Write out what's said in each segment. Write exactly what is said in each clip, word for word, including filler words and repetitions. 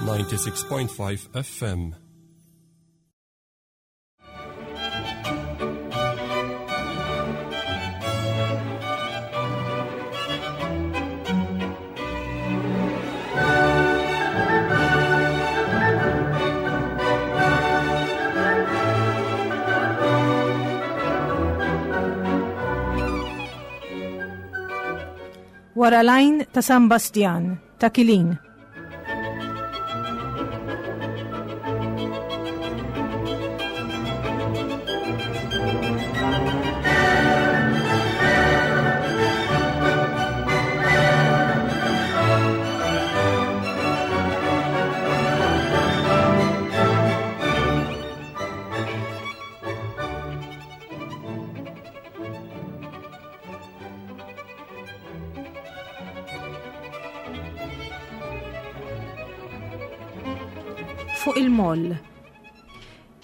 ninety-six point five F M. Wara l-għajn ta' San Bastjan, ta' Kilin. Fuq il-moll.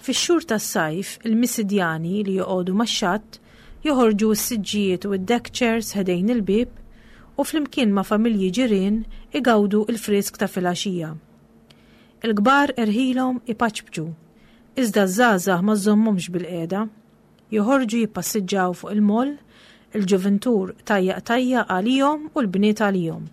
Fix-xhur tas-sajf, il-misidjani li joqogħdu max-xatt joħorġu s-siġġijiet u d-deck chairs ħdejn il-bieb u flimkien ma' familji ġirien igawdu l-frisk ta' filgħaxija. Il-kbar erħilhom ipaċpċu, iżda ż-żgħażagħ ma żommhomx bil-qiegħda. Joħorġu jippassiġġaw fuq il-moll, il-ġuventur tajjaq tajjaq għalihom u l-bniet għalihom.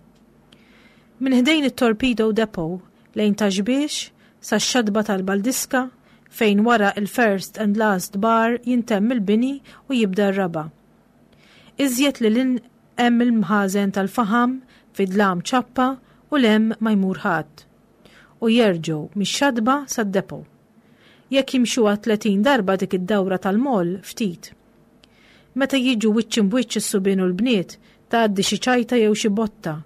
Minn ħdejn it-Torpedo Depot lejn Ta' Xbiex sa x-xatba tal-Baldiska fejn wara il-first and last bar jintemm il-bini u jibda r-raba. Iżjed li lil hemm il-mħażen tal-faħam fi dlam ċappa u lem ma jmur ħadd. U jerġgħu mix-xatba sad-depo. Jekk jimxuha tletin darba dik id-dawra tal-moll ftit. Meta jiġu wiċċ imbwiċċ is-subien u l-bniet tgħaddi xi ċajta jew xi botta.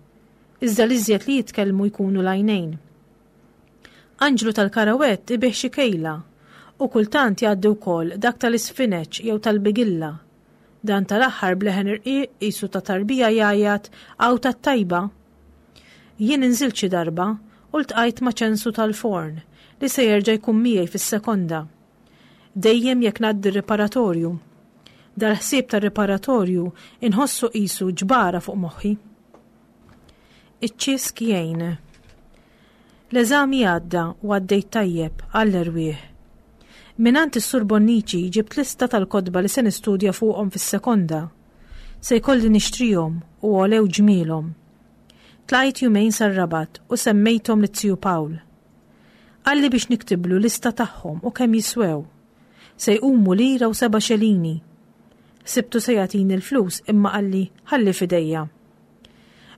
Iżda l-iżjed li jitkellmu jkunu l-għajnejn. Anġlu tal-karawett ibih xi kejla u kultant jgħaddi wkoll dak tal-isfineċ jew tal-bigilla. Dan tal-aħħar bleħen irqiq qisu ta' tarbija jgħajjat għaw tat-tajba. Jien inżilt xi darba u ltqajt ma' ċensu tal-forn li se jerġa' jkun miegħi fis-sekonda. Dejjem jekk ngħaddi r-riparatorju. Dal-ħsieb tar-riparatorju inħossu qisu ġbara fuq moħħi. Iċ-ċisk jgħin. L-eżami għadda u għaddejt tajjeb għall-erwieħ. Minant is-Sur Bonnici ġibt lista tal-kotba li se nistudja fuqhom fis-sekonda. Se jkolli nixtrihom u għolew ġmielhom. Tlajt jumejn sar-Rabat u semmejthom lit-Tiju Pawl. Qalli biex niktiblu lista tagħhom u kemm jiswew. Se jqumu lira u seba' xelini. Sibtu se jagħtini l-flus imma qalli ħalli f'idejja.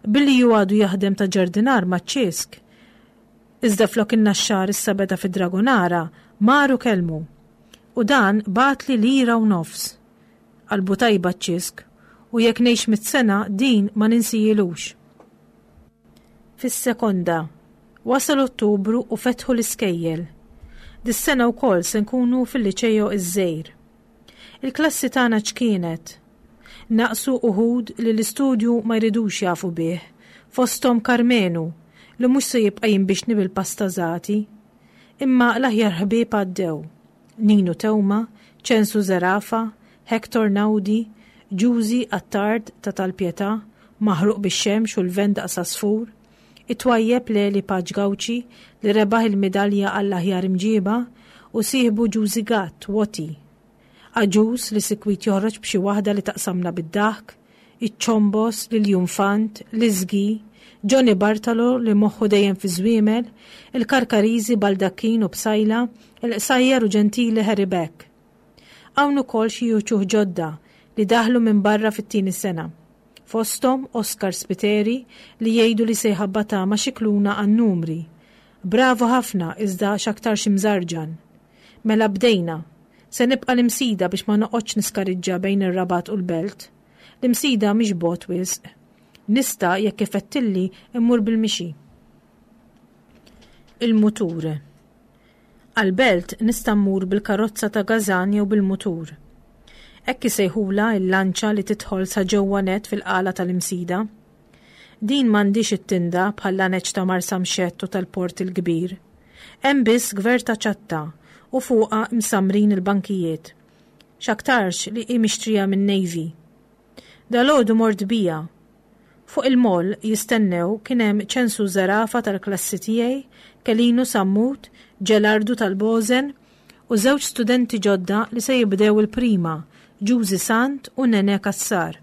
Billi ju għadu jaħdem ta' ġardinar maċ-ċisk, iżda flok in-naxxar issa beda fid-Dragonara, maru kelmu. U dan bagħatli lira u nofs. Qalbu tajba ċ-ċisk, u jekk ngħix mitt sena din ma ninsijilux. Fis-sekonda, wasal Ottubru u fetħu l-iskejjel. Dis-sena wkoll se nkunu fil-liċejo iż-żejr. Il-klassi tagħna ċkienet. Naqsu uħud li l-istudju ma jridux jafu bih, fosthom Karmenu, li mhux se jibqa' jinbixni bil-pastażati. Imma l-aħjar ħbieb għaddew. Ninu Tewma, Ċensu Zerafa, Hector Naudi, Ġużi Attard ta' Tal-Pietà, maħruq bix-xemx u l-vent daqs għasfur, it-twajjeb Leli Paċ Gawċi li rebaħ il-midalja għall-aħjar imġiba u sieħbu Ġużi Gatt, Woti. Aġus li sikwit joħroġ b'xi waħda li taqsamna bid-daħk, iċ-ċombos, l-Jumfant, l-Iżgi, Johnny Bartolo li moħħu dejjem fi żwiemel, il-Karkariżi Baldakkin u Psajla, il-Qsajjar u Ġentili Harry Beck. Hawn ukoll xi uċuħ ġodda li daħlu minn barra fit-tieni sena. Fosthom Oscar Spiteri li jgħidu li se jħabbata ma' xi kluna għan-numri. Bravo ħafna iżda x'aktar xi mżarġan. Mela bdejna. Se nibqa' l-Imsida biex ma noqgħodx niskariġġa bejn ir-Rabat u l-Belt. L-Imsida mhix bogħod wisq. Nista' jekk ifettilli immur bil-mixi. Il-mutur. Għal-Belt nista' mmur bil-karozza ta' Gazan jew bil-mutur. Hekk isejħula l-lanċa li tidħol sa ġewwa net fil-qala tal-Imsida. Din m'għandix it-tinda bħal-laneċ ta' Marsamxett u tal-Port il-Kbir. Hemm biss gverta ċatta u fuqha msamrin il-bankijiet. X'aktarx li hi mixtrija minn Navy. Dalgħodu mort bija. Fuq il-moll jistennew kien hemm Ċensu Zerafa tal-klassi tiegħi, Kelinu Sammut, Ġelardu tal-Bożen u żewġ studenti ġodda li se jibdew il-prima, Ġużi Sant u Nene Kassar.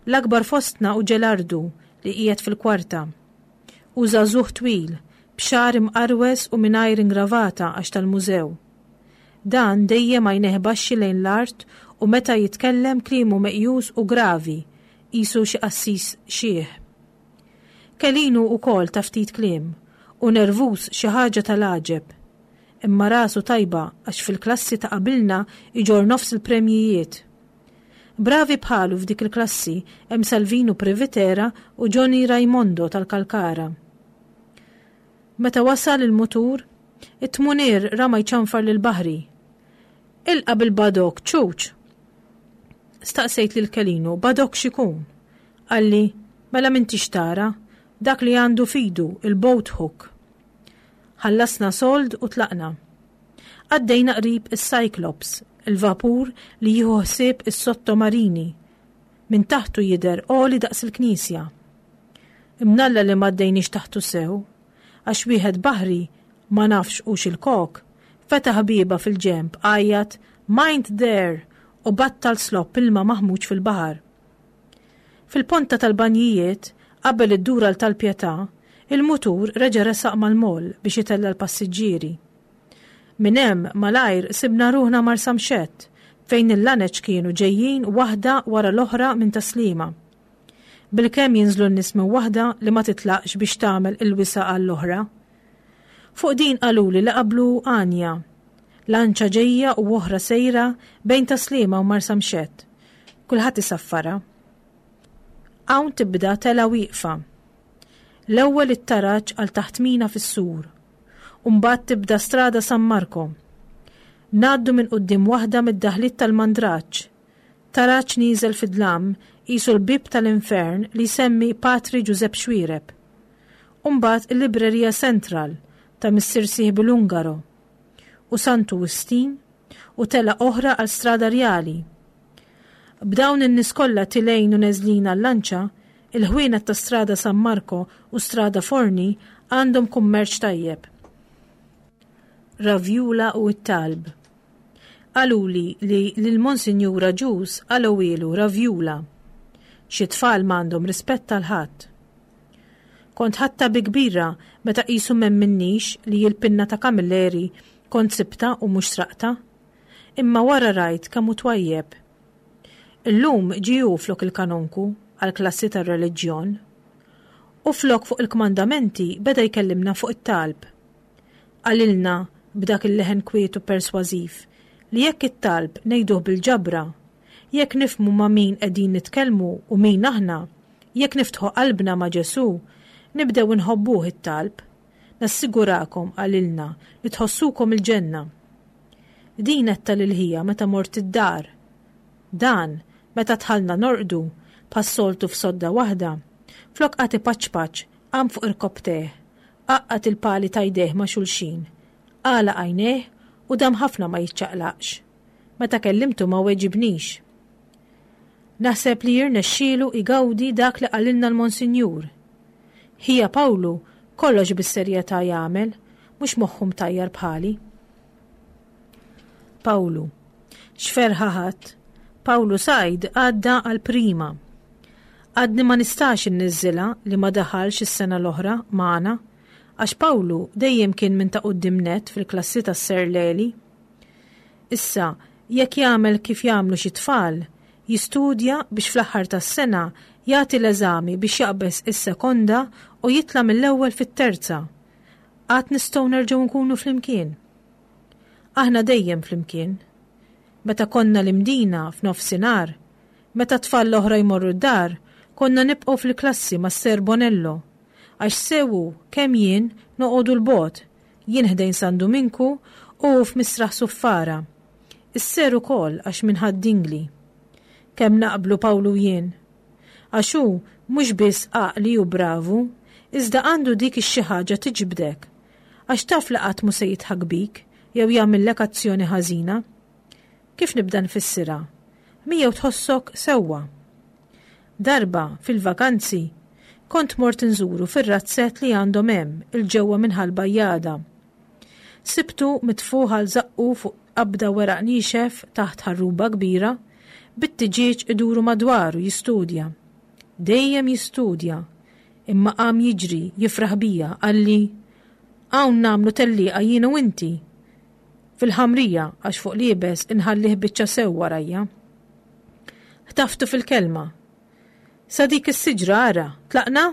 L-akbar fostna hu Ġelardu li qiegħed fil-kwarta. Hu żagħżugħ twil, b'xagħar imqarwes u mingħajr ingravata għax tal-mużew. Dan dejjem għajnejh baxxi lejn l-art u meta jitkellem kliemu meqjus u gravi, qisu xi qassis xiħ. Kelinu wkoll ta' ftit kliem u nervuż xi ħaġa tal-għaġeb. Imma rasu tajba għax fil-klassi ta' qabilna iġorr nofs il-premjijiet. Bravi bħalu f'dik il-klassi hemm Salvinu Privitera u Johnny Raimondo tal-Kalkara. Meta wasal il-mutur, it-tmunier rama jċanfar lill-baħri. Ilqa' bil-badok, ċuċ! Staqsejt lil Kelinu, badok x'ikun? Qalli, mela m'intix tara, dak li għandu f'idu, il-boat hook. Ħallasna sold u tlaqna. Għaddejna qrib is-Cyclops, il-vapur li jieħu ħsieb is-sottomarini. Minn taħtu jidher għoli daqs il-knisja. Imnalla li m'għaddejniex taħtu sew, għax wieħed baħri, ma nafx hux il-kok, fetaħ bieba fil-ġenb, għajjat "Mind there!" u battal slopp ilma maħmuġ fil-baħar. Fil-ponta tal-banjijiet, qabel id-dura tal-Pietà, il-mutur reġa' resaq mal-moll biex itella' l-passiġġieri. Minn hemm malajr sibna ruħna Marsamxett, fejn il-laneċ kienu ġejjin waħda wara l-oħra minn Tas-Sliema. Bilkemm jinżlu n-nies minn waħda li ma titlaqx biex tagħmel il-wisa' għall-oħra. Fuq din qaluli li qablu għanja. Lanċa ġejja u oħra sejra bejn Tas-Sliema u Marsamxett. Kulħadd isaffarha. Hawn tibda tela wieqfa. L-ewwel it-taraġ għal taħt mina fis-sur. U mbagħad tibda Strada San Marco. Ngħaddu minn quddiem waħda mid-daħliet tal-Mandraġġ. Taraġ nieżel fid-dlam qisu l-bieb tal-infern li jsemmi Patri Ġużepp Xuereb. U mbagħad il-Librerija Central ta' missier sieħbi l-Ungaro. U Santu Wistin u tela oħra għal Strada Rjali. B'dawn in-nies kollha tilgħin u neżlin għal-lanċa, il-ħwienet ta' Strada San Marco u Strada Forni għandhom kummerċ tajjeb. Ravjula u t-talb. Qaluli li lil Monsinjur Agius qalgħuhielu Ravjula. Xi tfal m'għandhom rispett għal ħadd. Kont ħadtha bi kbira meta qisu m'emminnix li l-pinna ta' Camilleri kont sibtha u mhux sraqtha. Imma wara rajt kemm hu twajjeb. Illum ġie hu flok il-kanonku għall-klassi tar-reliġjon. U flok fuq il-kmandamenti beda jkellimna fuq it-talb. Qalilna b'dak il-leħen kwiet u persważiv li jekk it-talb ngħiduh bil-ġabra, jekk nifhmu ma' min qegħdin nitkellmu u min aħna, jekk niftħu qalbna ma' Ġesù, nibdew inħobbuh it-talb. Nassigurakom, qalilna, li tħossukom il-ġenna. Din għedtha lil ħija meta mort id-dar. Dan, meta dħalna norqdu, bħas-soltu f'sodda waħda, flok qagħad ipaċpaċ, qam fuq irkopptejh, għaqqad il-pali ta' jdejh ma' xulxin, għalaq għajnejh u dam ħafna ma jiċċaqlaqx. Meta kellimtu ma weġibnix. Naħseb li jirnexxielu igawdi dak li qalilna l-Monsinjur. Ħija Pawlu kollox bis-serjetà jagħmel, mhux moħħu mtajjar bħali. Pawlu. X'ferħa ħadt. Pawlu Said għadda għall-prima. Għadni ma nistax inniżżilha li ma daħalx is-sena l-oħra magħna, għax Pawlu dejjem kien minn ta' quddiem nett fil-klassi tas-Sir Leli. Issa, jekk jagħmel kif jagħmlu xi tfal, jistudja biex fl-aħħar tas-sena jagħti l-eżami biex jaqbeż is-sekonda u jitla' mill-ewwel fit-terza. Għad nistgħu nerġgħu nkunu flimkien. Aħna dejjem flimkien. Meta konna l-Imdina f'nofsinhar, meta t-tfal l-oħra jmorru d-dar, konna nibqgħu fil-klassi ma' Ser Bonello, għax sew hu kemm jien noqogħdu 'l bogħod, jien ħdejn San Duminku u hu f'Misraħ Suffara. Is-Ser ukoll għax minn Ħad-Dingli. Kemm naqblu Pawlu u jien. Għax hu mhux biss għaqli u bravu, iżda għandu dik ix-xi ħaġa tiġbdek. Għax taf li qatt mhu se jidħak bik jew jagħmillek azzjoni ħażina. Kif nibda nfissirha? Miegħu tħossok sewwa. Darba, fil-vakanzi, kont mort inżuru fir-razzett li għandhom hemm 'il ġewwa minn Ħal Bajjada. Sibtu mitfugħ għal żaqqu fuq qabda weraq niexef taħt ħarruba kbira, bit-tiġieġ iduru madwaru jistudja. Dejjem jistudja, imma qam jiġri jifraħ bija qalli hawn nagħmlu tellieqa jien u inti. Fil-ħamrija għax fuq l-iebes inħallih biċċa sew warajja. Ħtaftu fil-kelma. Sa dik is-siġra ara, tlaqna?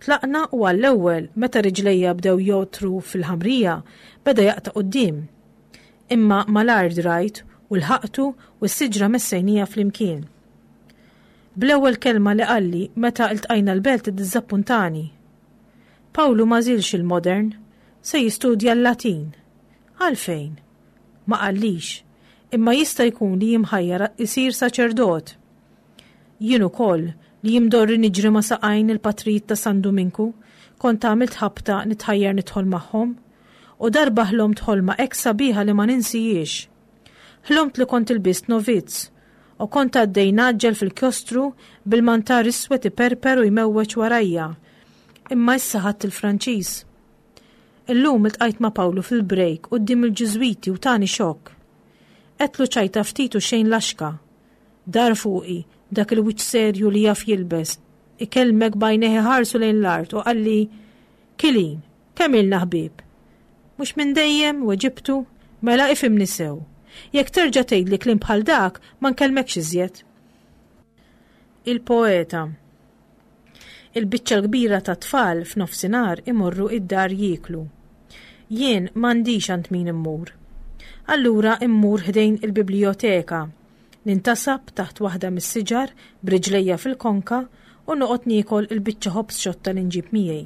Tlaqna u għall-ewwel meta riġlejja bdew jogħtru fil-ħamrija beda jaqta' quddiem. Imma malajr drajt u lħaqtu u s-siġra messejnija flimkien. Bl-ewwel kelma li qalli meta ltqajna l-belt iddiżappuntani. Pawlu m'għażilx il-modern, se jistudja l-Latin. Għalfejn? Ma qallix, imma jista' jkun li jimħajjar isir saċerdot. Jien ukoll li imdorri niġri ma' saqajn il-patrijiet ta' San Duminku, kont għamilt ħabta nitħajjar nidħol magħhom, u darba ħlomt ħolma hekk sabiħa li ma ninsihiex. Ħlomt li kont ilbist novizz u kont għaddej ngħaġġel fil-kjostru bil-mantar iswed iperper u jmewweġ warajja. Imma issa ħadt il-Franċiż. Illum iltqajt ma' Pawlu fil-break quddiem il-Ġiżwiti u tani xokk. Għedtlu ċajta ftit u xejn laxka. Dar fuqi, dak il-wiċċ serju li jaf jilbes, ikellmek b'għajnejh iħarsu lejn l-art u qalli, Kilin, kemm ilna ħbieb? Mhux minn dejjem, weġibtu, mela ifhimni sew. Jekk terġa' tgħidli kliem bħal dak, ma nkellmekx iżjed. Il-poeta. Il-biċċa l-kbira ta' tfal f'nofsinhar imorru id-dar jieklu. Jien m'għandix għand min immur. Allura immur ħdejn il-biblioteka, nintasab taħt waħda mis-siġar b'riġlejja fil-konka u noqgħod niekol il-biċċa ħobż xotta li nġib miegħi.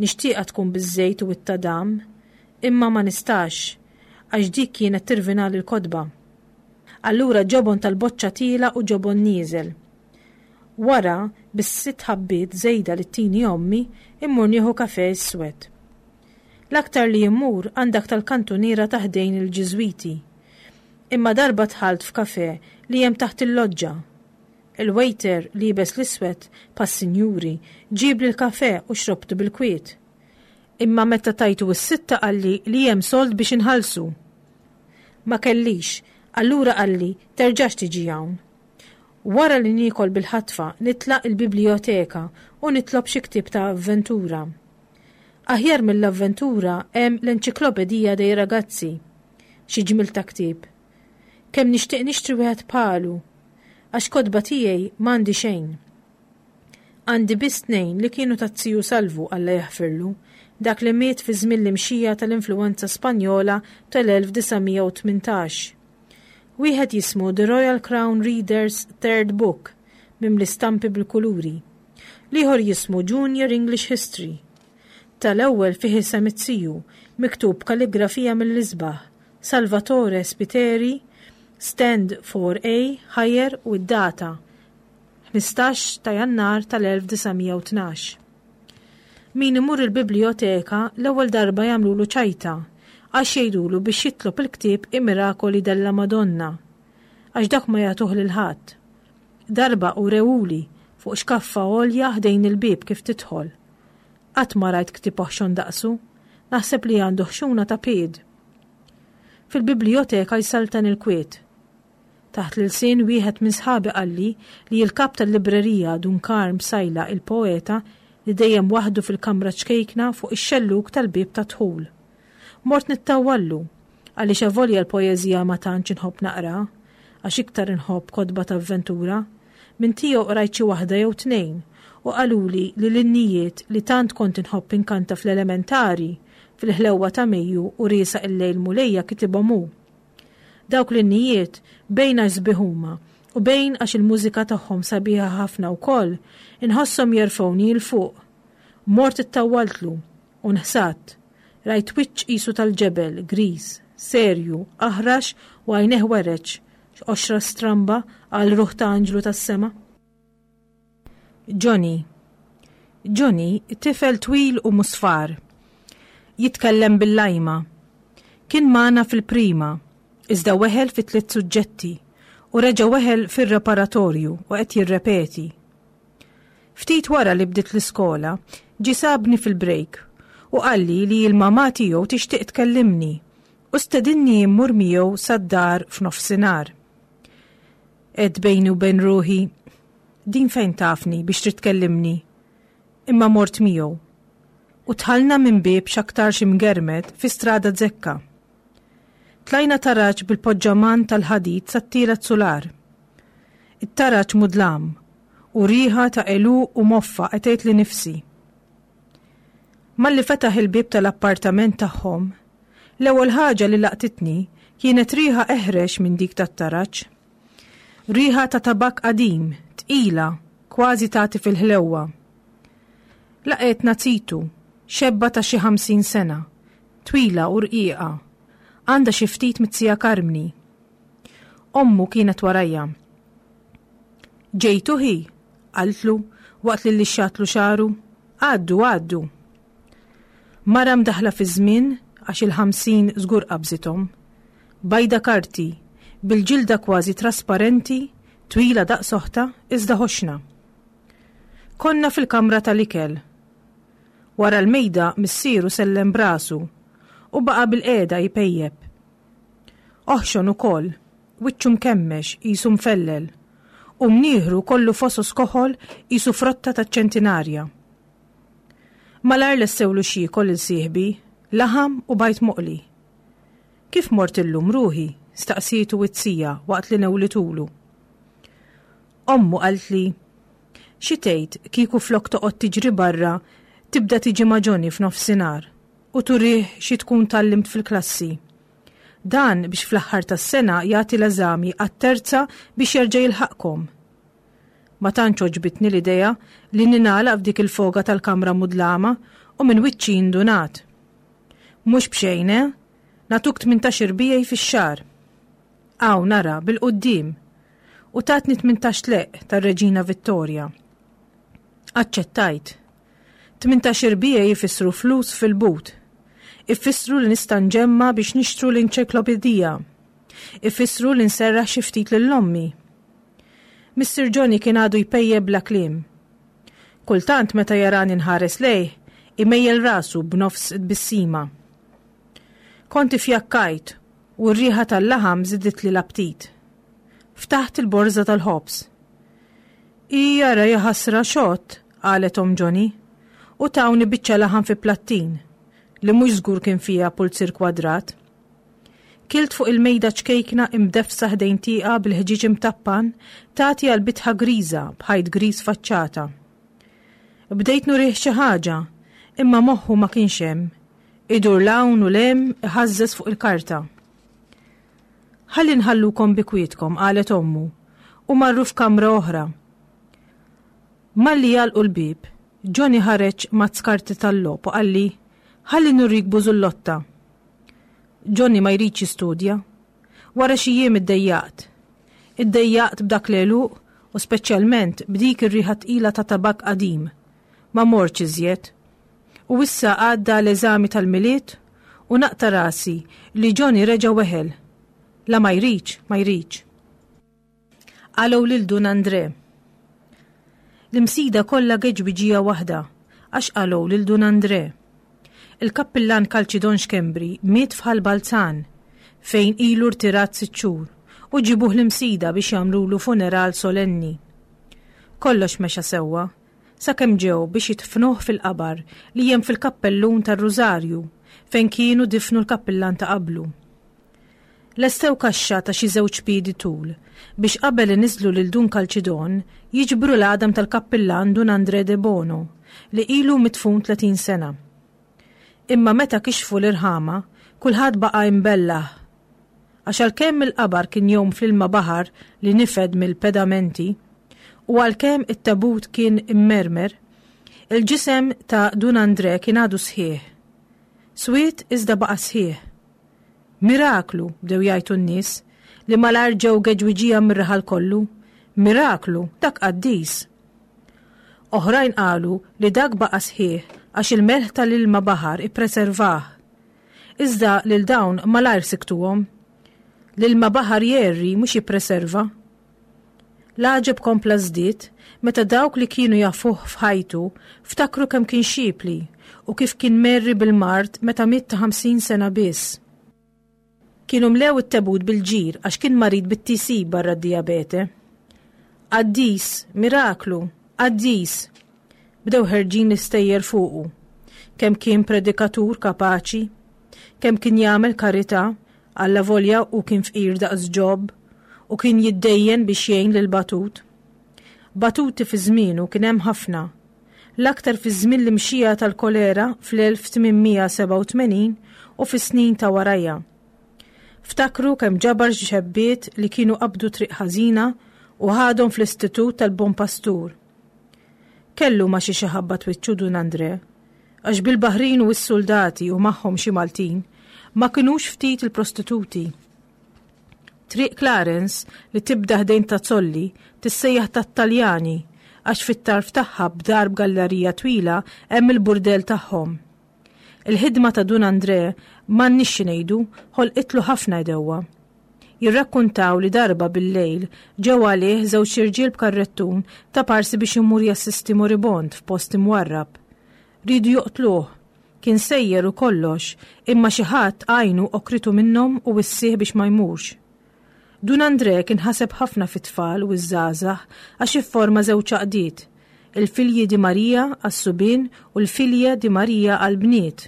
Nixtieqha tkun biż-żejt u t-tadam, imma ma nistax, għax dik kienet tirvinali l-kotba. Allura ġobon tal-boċċa tiela' u ġobon nieżel. Wara, bis-sitt ħabbiet żejda li ttini ommi, immur nieħu kafe iswed. L-aktar li immur għand dak tal-kantuniera ta' ħdejn il-Ġiżwiti. Imma darba dħalt f'kafe li hemm taħt il-loġġa. Il-waiter liebes l-iswed bħas-sinjuri ġiebli l-kafe u xrobtu bil-kwiet. Imma meta tajtu s-sitta qalli li hemm sold biex inħallsu. Ma kellix, allura qalli terġax tiġi hawn. Wara li niekol bil-ħatfa nitlaq il-biblioteka u nitlob xi ktieb ta' avventura. Aħjar mill-avventura hemm l-Enċiklopedija dei Ragazzi. Xi ġmiel ta' ktieb. Kemm nixtieq nixtri wieħed bħalu, għax kotba tiegħi m'għandi xejn. Għandi biss tnejn li kienu taz-ziju Salvu Alla jaħfirlu, dak li miet fi żmien l-imxija tal-influwenza Spanjola tal-elf disa' mija u tmintax. Wieħed jismu The Royal Crown Reader's Third Book, mimli stampi bil-kuluri. L-ieħor jismu Junior English History. Tal-ewwel fih isem it-ziju, miktub kalligrafija mill-isbaħ, Salvatore Spiteri, Stand four A, Higher u d-data, ħmistax ta' Jannar tal-elf disa' mija u tnax. Min imur il-biblioteka l-ewwel darba jagħmlulu ċajta, għax jgħidulu biex jitlob il-ktieb I Miracoli della Madonna, għax dak ma jagħtuh lil ħadd. Darba u rewuli fuq xkaffa għolja ħdejn il-bieb kif tidħol. Qatt ma rajt ktieb oħxon daqsu, naħseb li għandu ħxuna ta' pied. Fil-biblioteka jsaltan il-kwiet. Taħt l-ilsien wieħed minn sħabi qalli li l-kap tal-librerija Dun Karm Sajla il-poeta li dejjem waħdu fil-kamra ċkejkna fuq ix-xellug tal-bieb ta' dħul. Mort nittawallu, għaliex avolja l-poeżija ma tantx inħobb naqra, għax iktar inħobb kotba ta' avventura, minn tiegħu qrajt xi waħda jew tnejn u qaluli li l-innijiet li tant kont inħobb inkanta fl-elementari, fil-ħlewwa ta' Mejju u riesaq il-lejl Mulejja kitibhom hu. Dawk l-innijiet bejn għax sbieħ huma u bejn għax il-mużika tagħhom sabiħa ħafna wkoll, inħosshom jerfgħuni 'l fuq. Mort ittawwaltlu u nħsadt. Rajt wiċċ qisu tal-ġebel, griż, serju, aħrax u għajneh wereġ, x'qoxra stramba għal ruħ ta' anġlu tas-sema. Johnny. Johnny, tifel twil u musfar. Jitkellem bil-lajma. Kien magħna fil-prima, iżda weħel fi tliet suġġetti U reġa' weħel fir-preparatorju u qed jirrepeti. Ftit wara li bdiet l-iskola, ġie sabni fil-break u qalli li l-mamà tiegħu tixtieq tkellimni u stedinni immur miegħu sad-dar f'nofsinhar. Għedt bejni u bejn ruħi, din fejn tafni biex trid tkellimni? Imma mort miegħu. U dħalna minn bieb x'aktarx imgermed fi strada zekka. Tlajna taraġ bil-poġġaman tal-ħadid sat-tielet sular. It-taraġ mudlam u riħa ta' għeluq u moffa qatgħetli nifsi. Malli fetaħ il-bieb tal-appartament tagħhom, l-ewwel ħaġa li laqtitni kienet riħa eħrex minn dik tat-taraġ. Riħa ta' tabak qadim, tqila, kważi tagħti fil-ħlewwa. Laqgħetna zitu, xebba ta' xi ħamsin sena, twila u rqiqa, għandha xi ftit miz-zija Karmni. Ommu kienet warajja. Ġejtu ħi, qaltlu waqt li lixxatlu xagħru, għaddu għaddu. Mara mdaħla fi żmien għax il-ħamsin żgur qabżithom. Bajda karti, bil-ġilda kważi trasparenti, twila daqs oħtha, iżda ħoxna. Konna fil-kamra tal-ikel. Wara l-mejda missieru sellem b'rasu u baqa' bilqiegħda jpejjep. Oħxon ukoll, wiċċu mkemmex qisu mfellel, u mnieħru kollu fosos koħol qisu frotta taċ-ċentinarja. Malajr lestewlu x'jiekol lil sieħbi, laħam u bajd moqli. Kif mort illum ruħi? Staqsietu iz-zija waqt li newlitulu. Ommu qaltli, xi tgħid kieku flok toqgħod tiġri barra tibda tiġi ma' Johnny f'nofsinhar u turih xi tkun tgħallimt fil-klassi. Dan biex fl-aħħar tas-sena jagħti l-eżami għat-terza biex jerġa' jilħaqkom. Ma tantx għoġbitni l-idea li ningħalaq f'dik il-foga tal-kamra mudlama u minn wiċċi indunat. Mhux b'xejn, eh? Nagħtuk tmintax irbijej fix-xahar. Aw nara bil-quddiem. U tatni tmintax leq tar-Reġina Vittoria. Aċċettajt. Tmintax irbijej ifissru flus fil-but. Ifissru li nista' nġemma biex nixtru l-enċiklopedija. Ifissru li nserraħ xi ftit lil ommi. Missier Johnny kien għadu jpejjep bla kliem. Kultant meta jarani nħares lejh, imejjel rasu b'nofs tbissima. Kont ifjakkajt u r-riħa tal-laħam żiditli l-aptit. Ftaħt il-borża tal-ħobż. Ija ra jaħasra xott, qalet omm Johnny, u tawni biċċa laħam fi plattin, li mhux żgur kien fiha pulzier kwadrat. Kilt fuq il-mejda ċkejkna imdeffsa ħdejn tieqa bil-ħġieġ imtappan tagħti għal bitħa griża b'ħajt griż faċċata. Bdejt nurih xi ħaġa, imma moħħu ma kienx hemm. Idur 'l hawn u 'l hemm iħażżeż fuq il-karta. Ħalli nħallukom bi kwietkom, qalet ommu, u marru f'kamra oħra. Malli għalqu l-bieb, Johnny ħareġ mazz karti tal-logħob u qalli, ħalli nurik bużullotta. Johnny ma jridx jistudja. Wara xi jiem iddejjaqt. Iddejjaqt b'dak l-għeluq u speċjalment b'dik ir-riħa tqila ta' tabak qadim. Ma mortx iżjed. U issa għadda l-eżami tal-Milied u naqta' rasi li Johnny reġa' weħel. La ma jridx, ma jridx. Qalgħu lil Dun Andre. L-Imsida kollha geġbiġija waħda għax qalgħu lil Dun Andre. Il-kappillan Kalċidon Schembri miet f'Ħal Balzan fejn ilu rtirat sitt xhur u ġibuh l-Imsida biex jagħmlulu funeral solenni. Kollox mexa sewwa, sakemm ġew biex jidfnuh fil-qabar li hemm fil-kappellun tar-Rużarju fejn kienu difnu l-kappillan ta' qablu. Lestew kaxxa ta' xi żewġ piedi tul biex qabel iniżlu lil Dun Kalċidon jiġbru l-għadam tal-kappillan Dun Andre de Bono li ilu midfun tletin sena. Imma meta kixfu l-irħama, kulħadd baqa' imbellah. Għax għalkemm il-qabar kien jgħum fl-ilma baħar li nifed mill-pedamenti, u għalkemm it-tabut kien immermer, il-ġisem ta' Dun Andre kien għadu sħiħ. Swied iżda baqa' sħiħ. Miraklu, bdew jgħajtu n-nies, li malajr ġew geġwiġija mir-raħal kollu. Miraklu, dak qaddis. Oħrajn qalu li dak baqa' sħiħ għax il-melħ tal-ilma baħar ippreservah. Iżda lil dawn malajr siktuhom. L-ilma baħar jgħerri mhux jippreserva. L-għaġeb kompla żdied meta dawk li kienu jafuh f'ħajtu ftakru kemm kien xipli u kif kien merri bil-mard meta miet ta' ħamsin sena biss. Kienu mlew it-tebut bil-ġir għax kien marid bit-T C barra d-dijabete. "Qaddis, miraklu, qaddis!" Bdew ħerġin l-istejjer fuqu. Kemm kien predikatur kapaċi, kemm kien jagħmel karità, allavolja u kien fqir daqs Ġob, u kien jiddejjen biex jgħin lil batut. Batuti fi żmienu kien hemm ħafna. L-aktar fi żmien l-imxija tal-kolera fl-elf tmien mija sebgħa u tmenin u fis-snin ta' warajha. Ftakru kemm ġabar xebbiet li kienu qabdu triq ħażina u ħadhom fl-Istitut tal-Bon Pastur. Kellu ma xi ħabba twiċċu Dun Andre, għax bil-baħrin u s-soldati u magħhom xi Maltin ma kinux ftit il-prostituti. Triq Clarence li tibda ħdejn Tazzolli tissejjaħ tat-Taljani għax fit-tarf tagħha b'darb gallerija twila hemm il-burdel tagħhom. Il-ħidma ta' Dun Andre, m'għandniex xi ngħidu, ħolqitlu ħafna għedewwa. Jirrakkuntaw li darba bil-lejl ġew għalih żewġ irġiel b'karrettun ta' parsi biex imur jassisti moribond f'post imwarrab. Ridu joqtluh, kien sejjer u kollox, imma xi ħadd għajnu okritu minnhom u wissih biex ma jmurx. Dun Andre kien ħaseb ħafna fit-tfal u ż-żgħażagħ għax ifforma żewġ għaqdiet, il-Filji di Marija għas-subien u l-Filja di Marija għall-bniet.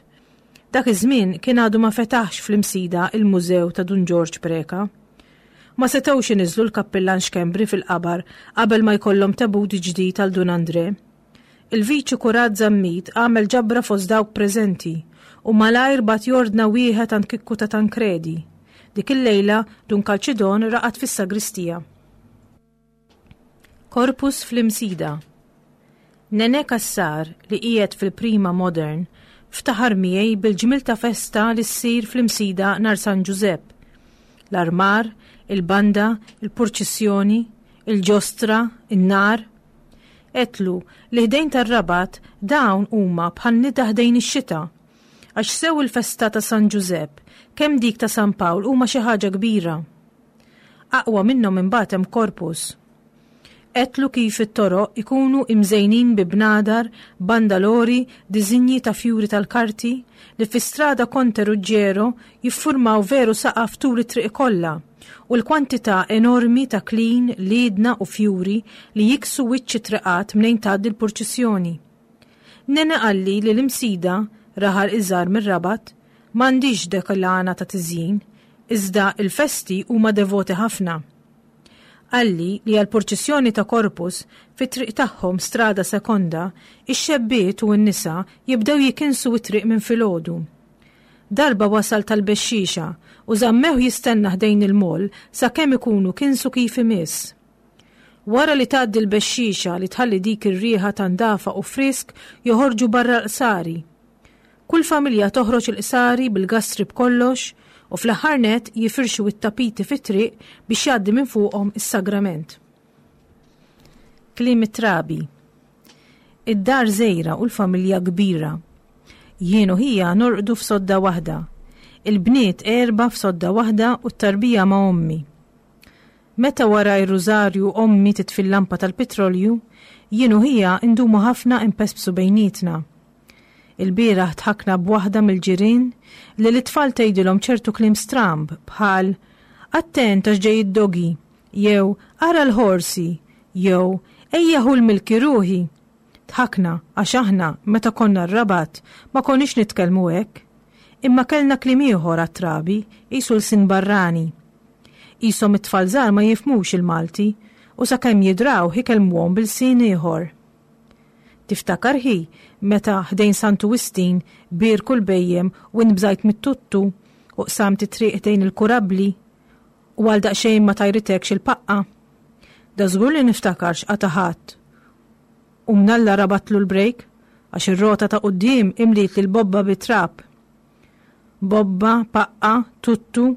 Dak iż-żmien kien għadu ma fetaħx fl-Imsida il-Mużew ta' Dun Ġorġ Preka. Ma setgħux iniżlu l-kappillan Xkembri fil-qabar qabel ma jkollhom tebut ġdid għal Dun Andre. Il-viċi kurat Zammit għamel ġabra fost dawk preżenti u malajr bagħat jordna wieħed għand Kikku ta' Tankredi. Dik il-lejla Dun Kalċidon raqad fis-sagristija. Corpus fl-Imsida. Nene Kassar, li qiegħed fil-Prima Modern, ftaħar miegħi bil-ġmil ta' festa li ssir fl-Imsida nhar San Ġużepp. L-armar, il-banda, il-purċissjoni, il-ġostra, in-nar. Għedtlu li ħdejn tar-Rabat dawn huma bħal nida ħdejn ix-xita. Għax sew il-festa ta' San Ġużepp, kemm dik ta' San Pawl huma xi ħaġa kbira. Aqwa minnhom imbagħad hemm Corpus. Għedtlu kif it-toroq ikunu imżejnin bi bnadar, bandalori, diżinji ta' fjuri tal-karti li fi strada Conte Ruggiero jiffurmaw veru saqaf tul it-triq kollha u l-kwantità enormi ta' klin, liedna u fjuri li jiksu wiċċ it-triqat mnejn tgħaddi l-purċissjoni. Nene qalli li l-Imsida, raħal iżgħar mir-Rabat, m'għandix dik l-għana ta' tiżjin, iżda il-festi huma devoti ħafna. Qalli li għal-purċissjoni ta' Corpus fit-triq tagħhom, Strada Sekonda, ix-xebbiet u n-nisa jibdew jikinsu it-triq minn filgħodu. Darba wasal tal-bexxixa u żammew jistenna ħdejn il-mol sakemm ikunu kinsu kif imiss. Wara li tgħaddi l-bexxixa li tħalli dik ir-riħa ta' ndafa u frisk, joħorġu barra l-qsari. Kull familja toħroġ il-qsari bil-gastri b'kollox u fl-aħħar net jifirxu it-tapiti fit-triq biex jgħaddi minn fuqhom is-sagrament. Kliem it-trabi. Id-dar żgħira u l-familja kbira. Jien u ħija norqdu f'sodda waħda. Il-bniet erba' f'sodda waħda u t-tarbija ma' ommi. Meta wara r-rużarju ommi titfi l-lampa tal-petrolju, jien u ħija indumu ħafna impespsu bejnietna. Il-bieraħ dħakna b'waħda mill-ġirien li l-tfal tgħidilhom ċertu kliem stramb bħal "attent għax ġej id-doggy" jew "ara l-ħorsi" jew "ejja ħu l-milki ruħi". Dħakna għax aħna meta konna r-Rabat ma konniex nitkellmu hekk. Imma kellna kliem ieħor għat-trabi, qisu lsin barrani. Qishom it-tfal żgħar ma jifhmux il-Malti u sakemm jidraw ikellmuhom b'ilsien ieħor. Tiftakar, ħi, meta ħdejn Santu Wistin bierku l-bhejjem u nbżajt mit-tuttu u qsamt it-triq ħdejn il-kurabli u għal daqsxejn ma tajritekx il-paqqa? Da żgur li niftakar x'qata ħadd. U mnalla rabatlu l-brejk għax ir-rota ta' quddiem imliet l-bobba bit-trab. Bobba, paqqa, tuttu,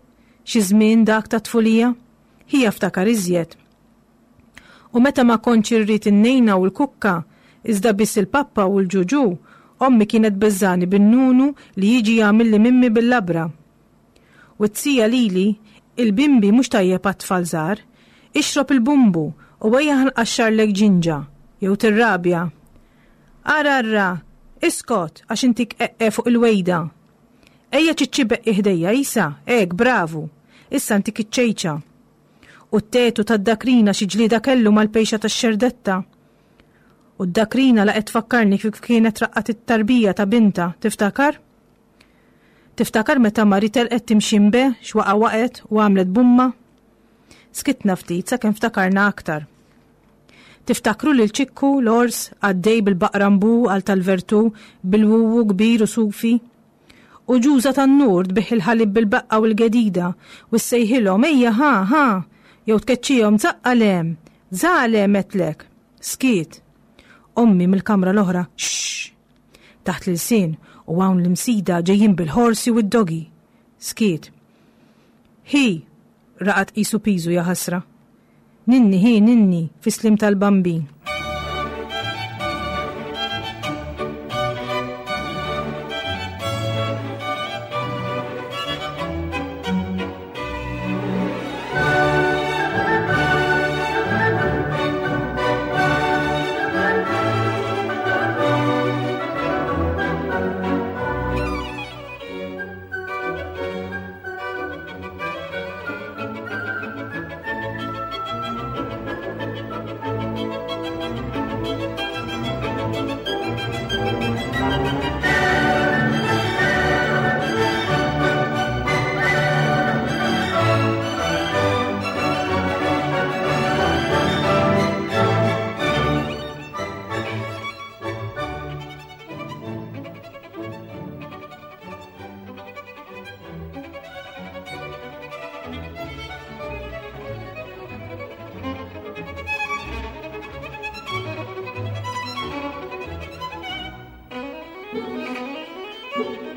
xi żmien dak ta' tfulija, ħija ftakar iżjed. U meta ma kontx irrid in-nejna u l-kukka, iżda biss il-pappa u l-ġuġu, ommi kienet beżżani bin-nunu li jiġi jagħmilli mimmi bil-labra. U t-tija lili, "Il-bimbi mhux tajjeb għat-tfal żgħar, ixrob il-bumbu U ejja ħa nqaxxarlek ġinġa, jew tirrabja. Ara arra, iskot għax intik eqqe fuq il-wejda. Ejja ċiċċi beqqi ħdejja, isa, ek, bravu. Issa ntik iċ-ċejċa. U t-tetu tad-dakrina xi ġlieda kellu mal-pejxa tax-xerdetta. U d-dakrina laqgħet tfakkarni kif kienet raqqat it-tarbija ta' binta, tiftakar? Tiftakar meta Mari telqet timxi mbe, x'waqa waqgħet u għamlet bumma? Skitna ftit sakemm ftakarna aktar. Tiftakru lil Ċikku l-ors għaddej bil-baqrambu għal tal-vertu bil-wuwu kbir u sufi? U ġuża tan-nur tbigħ il-ħalib bil-baqqa u l-gedida u ssejħilhom ejja ħa ħa jew tkeċċihom zaqqalem, zalem għedtlek. Skiet. Ommi mill-kamra l-oħra, xxx. Taħt l-ilsien u hawn l-imsida ġejjin bil-ħorsi u d-dogi. Skiet. Hi, raqad qisu piżu ja ħasra. Ninni hi ninni fis-slim tal-Bambin. Thank you.